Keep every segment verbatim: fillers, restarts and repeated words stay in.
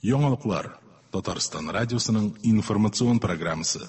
Яңалыклар. Татарстан радиосының информацион программасы.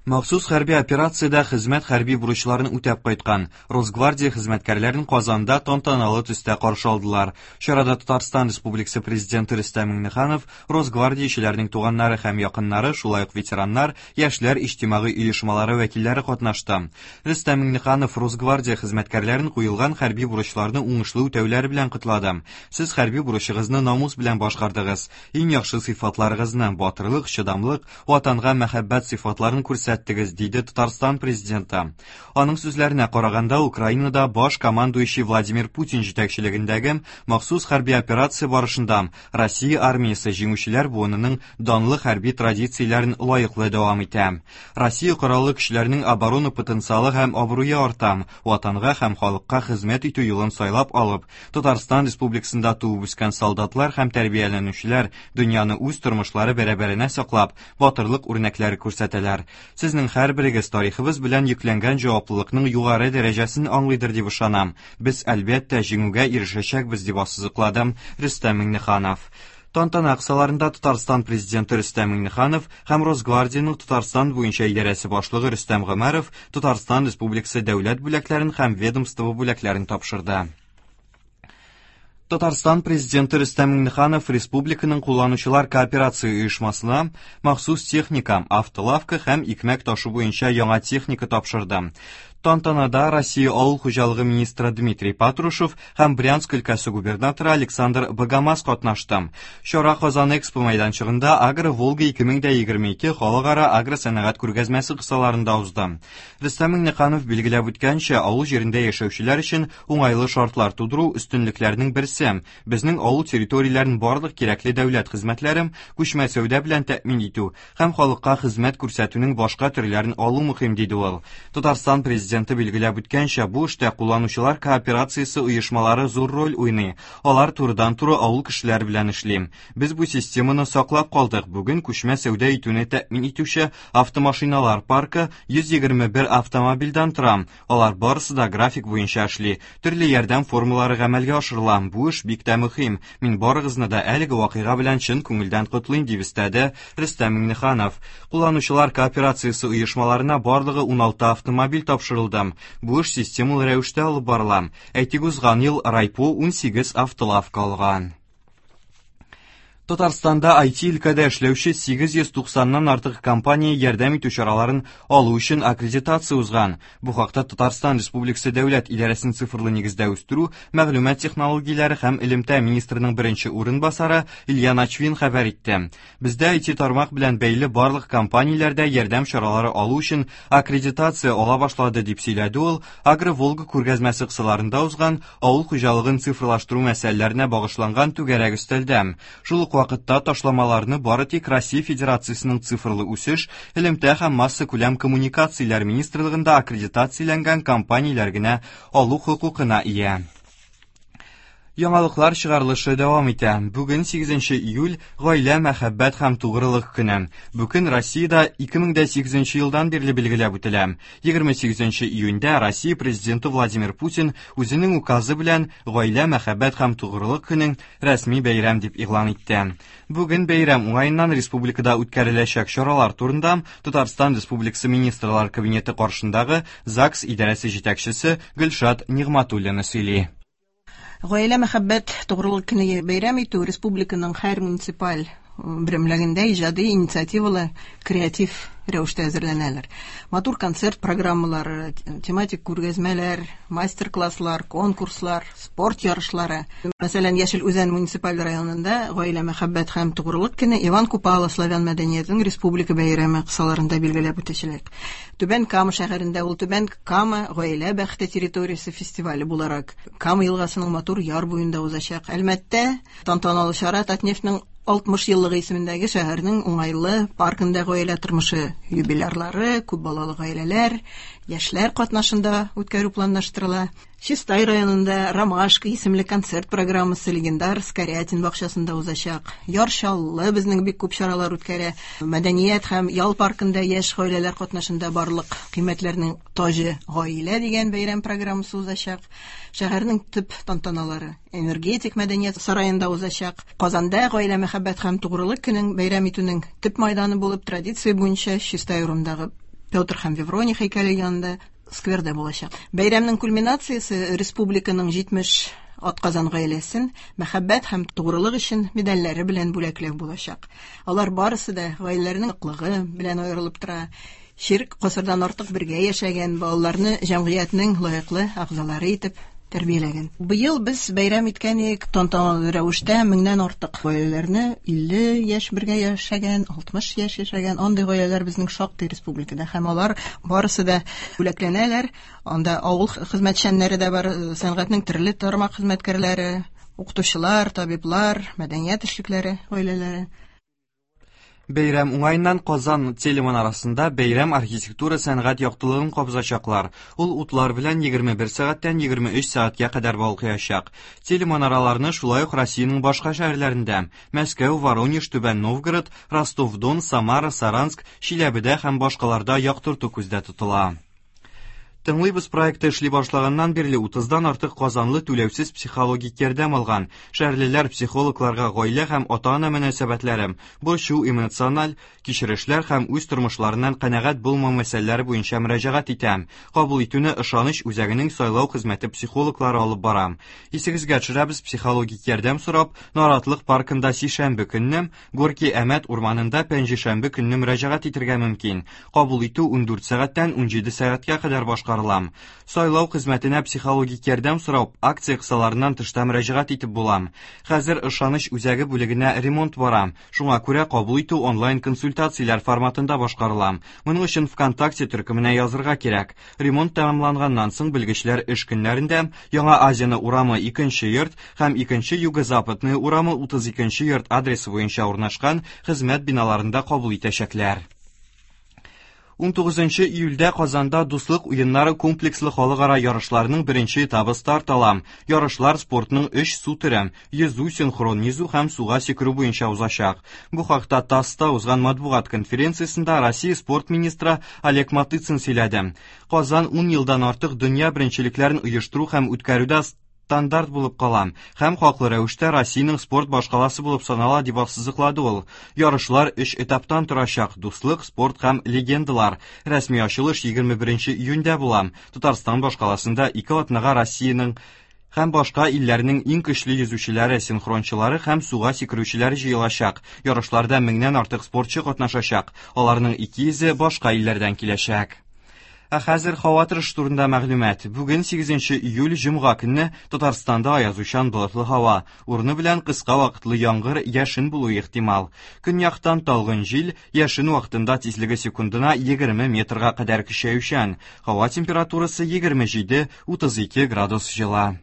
Махсус хәрби операциядә хезмәт хәрби бурычларын үтәп кайткан Росгвардия хезмәткәрләрен Казанда тантаналы төстә каршы алдылар. Чарада Татарстан Республикасы Президенты Рөстәм Миңнеханов, Росгвардиячеләрнең туганнары һәм якыннары, шулай ук ветераннар, яшьләр иҗтимагый оешмалары вәкилләре катнашты. Рөстәм Миңнеханов Росгвардия хезмәткәрләрен куелган хәрби бурычларны уңышлы үтәүләре белән котлады. Сез хәрби бурычыгызны намус белән башкардыгыз. Иң яхшы сыйфатларыгызны, батырлык, чыдамлык, ватанга мәхәббәт сыйфатларын күрсәттегез, диде Татарстан президенты. Аның сүзләренә караганда, Украинада баш командующий Владимир Путин җитәкчелегендәге махсус хәрби операция барышында Россия армиясе җиңүчеләр буынының данлы хәрби традицияләрен лаеклы дәвам итә. Россия кораллы көчләренең оборона потенциалы һәм абруе арта, ватанга һәм халыкка хезмәт итү юлын сайлап алып, Татарстан Республикасында туып үскән солдатлар һәм тәрбияләнүчеләр дөньяны үз тормышлары бәрабәренә саклап, батырлык үрнәкләре күрсәтәләр. Сезнең һәрберегез тарихыбыз белән йөкләнгән җаваплылыкның югары дәрәҗәсен аңлыйдыр дип ышанам. Без әлбәттә җиңүгә ирешәчәкбез, дип ассызыклады Рөстәм Миңнеханов. Тантана кысаларында Татарстан президенты Рөстәм Миңнеханов һәм Росгвардиянең Татарстан буенча идарәсе башлыгы Рөстәм Гомәров Татарстан Республикасы дәүләт бүләкләрен һәм ведомство бүләкләрен тапшырды. Татарстан президенты Рөстәм Миңнеханов республиканың кулланучылар кооперация оешмасына махсус техника, автолавка һәм икмәк ташу буенча яңа техника тапшырды. Тантанада Россия авыл хуҗалыгы министры Дмитрий Патрушев һәм Брянск өлкәсе губернаторы Александр Богомаз катнашты. Чара Казан Экспо мәйданчыгында Агро Волга ике мең дә егерме ике халыкара агросәнәгать күргәзмәсе кысаларында узды. Рөстәм Миңнеханов билгеләп үткәнчә, авыл җирендә яшәүчеләр өчен уңайлы шартлар тудыру өстенлекләрнең берсе. Безнең авыл территорияләрен барлык кирәкле дәүләт хезмәтләре, күчмә сәүдә белән тәэмин итү һәм халыкка хезмәт күрсәтүнең башка төрләрен алу мөһим, диде ул. Татарстан президенты билгеләп үткәнчә, бу эштә кулланучылар кооперациясе оешмалары зур роль уйный. Алар турыдан-туры авыл кешеләре белән эшли. Без бу системаны саклап калдык. Бүген күчмә сәүдә итүне тәэмин итүче автомашиналар паркы йөз егерме бер автомобильдән тора. Алар барысы да график буенча эшли. Төрле ярдәм формалары гамәлгә ашырыла. Бу эш бик тә мөһим. Мин барыгызны да әлеге вакыйга белән чын күңелдән котлыйм, дип өстәде Рөстәм Миңнеханов. Кулланучылар кооперациясе оешмаларына барлыгы уналты автомобиль тапшырылды. Бу эш системалы рәвештә алып барыла. Әйтик, узган ел Райпо унсигез автолавка алган. Татарстанда ай ти өлкәдә эшләүче сигез йөз туксаннан артык компания ярдәм итү чараларын алу өчен аккредитация узган. Бу хакта Татарстан Республикасы Дәүләт идарәсен цифрлы нигездә үстерү, мәгълүмат технологияләре һәм элемтә министрының беренче урынбасары Илья Начвин хәбәр итте. Бездә ай ти тармак белән бәйле барлык компанияләрдә ярдәм чаралары алу өчен аккредитация ала башлады, дип сөйләде ул Агро Волга күргәзмәсе кысаларында узган авыл хуҗалыгын цифрлаштыру мәсьәләләренә багышланган түгәрәк өстәлдә. Шул ук вакытта ташламаларны бары тик Россия Федерациясенең цифрлы үсеш, элемтә һәм массакүләм коммуникацияләр министрлыгында аккредитацияләнгән компанияләр генә алу хокукына ия. Яңалыклар чыгарылышы дәвам итә. Бүген сигезенче июль гаилә, мәхәббәт һәм тугрылык көне. Бу көн Россиядә ике мең дә сигезенче елдан бирле билгеләп үтелә. Егерме сигезенче июньдә Россия президенты Владимир Путин үзенең указы белән гаилә, мәхәббәт һәм тугрылык көнен рәсми бәйрәм дип игълан итте. Бүген бәйрәм уңаеннан республикада үткәреләчәк чаралар турында Татарстан Республикасы Министрлар Кабинеты каршындагы ЗАГС идарәсе җитәкчесе Гөлшат Нигъматуллина сөйли. Гаилә, мәхәббәт, тугрылык көне бәйрәм итү республиканың һәр муниципаль берәмлегендә иҗади инициативалы креатив рәвештә әзерләнәләр. Матур концерт программалары, тематик күргәзмәләр, мастер-класслар, конкурслар, спорт ярышлары. Мәсәлән, Яшел Үзән муниципаль районында гаилә, мәхәббәт һәм тугрылык көне Иван Купала славян мәдәниятенең республика бәйрәме кысаларында билгеләп үтәчәк. Түбән Кама шәһәрендә ул Түбән Кама гаилә бәхете территориясе фестивале буларак Кама елгасының матур яр буенда узачак. Әлмәттә тантаналы чара Татнефтьнең алтмыш еллыгы исемендәге шәһәрнең уңайлы паркында гаилә тормышы юбилярлары, күп балалы гаиләләр, яшьләр катнашында үткәрү планлаштырыла. Чистай районында Ромашка исемле концерт программасы легендар Скорятин бакчасында узачак. Яр Чаллы безнең бик күп чаралар үткәрә. Мәдәният һәм ял паркында яшь гаиләләр катнашында барлык кыйммәтләрнең таҗы гаилә дигән бәйрәм программасы узачак. Шәһәрнең төп тантаналары Энергетик мәдәният сараенда узачак. Казанда гаилә мәхәббәт һәм тугрылык көнен бәйрәм итүнең төп майданы булып традиция буенча Чистай урамындагы Петр һәм Февроний һәйкәле янында скверда булачак. Бәйрәмнең кульминациясе республиканың җитмеш атказан гаиләсен мәхәббәт һәм тугрылык өчен медальләре белән бүләкләү булачак. Алар барысы да гаиләләренең ныклыгы белән аерылып тора. Чирек гасырдан артык бергә яшәгән балаларны җәмгыятьнең лаеклы әгъзалары итеп тәрбияләгән. Быел без бәйрәм иткән идек тантаналы рәвештә меңнән артык гаиләләрне, илле яшь бергә яшәгән, алтмыш яшь яшәгән андый гаиләләр безнең шактый республикада һәм алар барысы да бүләкләнәләр. Анда авыл хезмәтчәннәре дә бар, сәнгатьнең төрле тармак хезмәткәрләре, укытучылар, табиблар, мәдәният эшлекләре гаиләләре. Бәйрәм уңаеннан Казан телеманарасында бәйрәм архитектура сәнгать яктылыгын кабызачаклар. Ул утлар белән егерме бер сәгатьтән егерме өч сәгатькә кадәр балкыячак. Телеманараларны шулай ук Россиянең башка шәһәрләрендә Мәскәү, Воронеж, Түбән Новгород, Ростов-Дон, Самара, Саранск, Чиләбедә һәм башкаларда яктырту күздә тотыла. Тыңлыйбыз проекты эшли башлаганнан бирле утыздан артык казанлы түләүсез психологик ярдәм алган. Шәһәрлеләр психологларга гаилә һәм ата-ана мөнәсәбәтләре, борчу, эмоциональ кичерешләр һәм үз тормышларыннан канәгать булмау мәсьәләләре буенча мөрәҗәгать итә. Кабул итүне ышаныч үзәгенең сайлау хезмәте психологлары алып бара. Исегезгә төшерәбез, психологик ярдәм сорап Наратлык паркында сишәмбе көнне, Горки Әмәт урманында пәнҗешәмбе көнне мөрәҗәгать итәргә мөмкин. Кабул итү ундүрт сәгатьтән унҗиде сәгатькә кадәр башкарыла. Сайлау хезмәтенә психологик ярдәм сорап акция кысаларыннан тышта мөрәҗәгать итеп була. Хәзер ышаныч үзәге бүлегенә ремонт бара. Шуңа күрә кабул итү онлайн консультацияләр форматында башкарыла. Моның өчен ВКонтакте төркеменә язырга кирәк. Ремонт тәмамланганнан соң белгечләр эш көннәрендә Яңа Азияны урамы икенче йорт һәм икенче Юго-Западный урамы утыз икенче йорт адресы буенча урнашкан хезмәт биналарында кабул итәчәкләр. Унтугызынчы июльдә Казанда Дуслык уеннары комплекслы халыкара ярышларының беренче этабы старт ала. Ярышлар спортның өч су төре йөзү, синхрон йөзү һәм суга сикерү буенча узачак. Бу хакта ТАССта узган матбугат конференциясендә Россия спорт министры Олег Матыцин сөйләде. Казан ун елдан артык дөнья беренчелекләрен оештыру һәм үткәрүдә стандарт булып кала һәм хаклы рәвештә Россиянең спорт башкаласы булып санала, дип ассызыклады ул. Ярышлар өч этаптан торачак: дуслык, спорт һәм легендалар. Рәсми ачылыш егерме беренче июньдә була. Татарстан башкаласында ике атнага Россиянең һәм башка илләрнең иң көчле йөзүчеләре, синхрончылары һәм суга сикерүчеләре җыелачак. Ярышларда меңнән артык спортчы катнашачак. Аларның ике йөзе башка илләрдән киләчәк. Ә хәзер һава торышы турында мәгълүмат. Бүген сигезенче июль җомга көнне Татарстанда аязучан болытлы һава, урыны белән кыска вакытлы яңгыр, яшен булуы ихтимал. Көньяктан талгын җил, яшен вакытында тизлеге секундына егерме метрга кадәр көчәючән. Һава температурасы егерме җиде утыз ике градус җылы.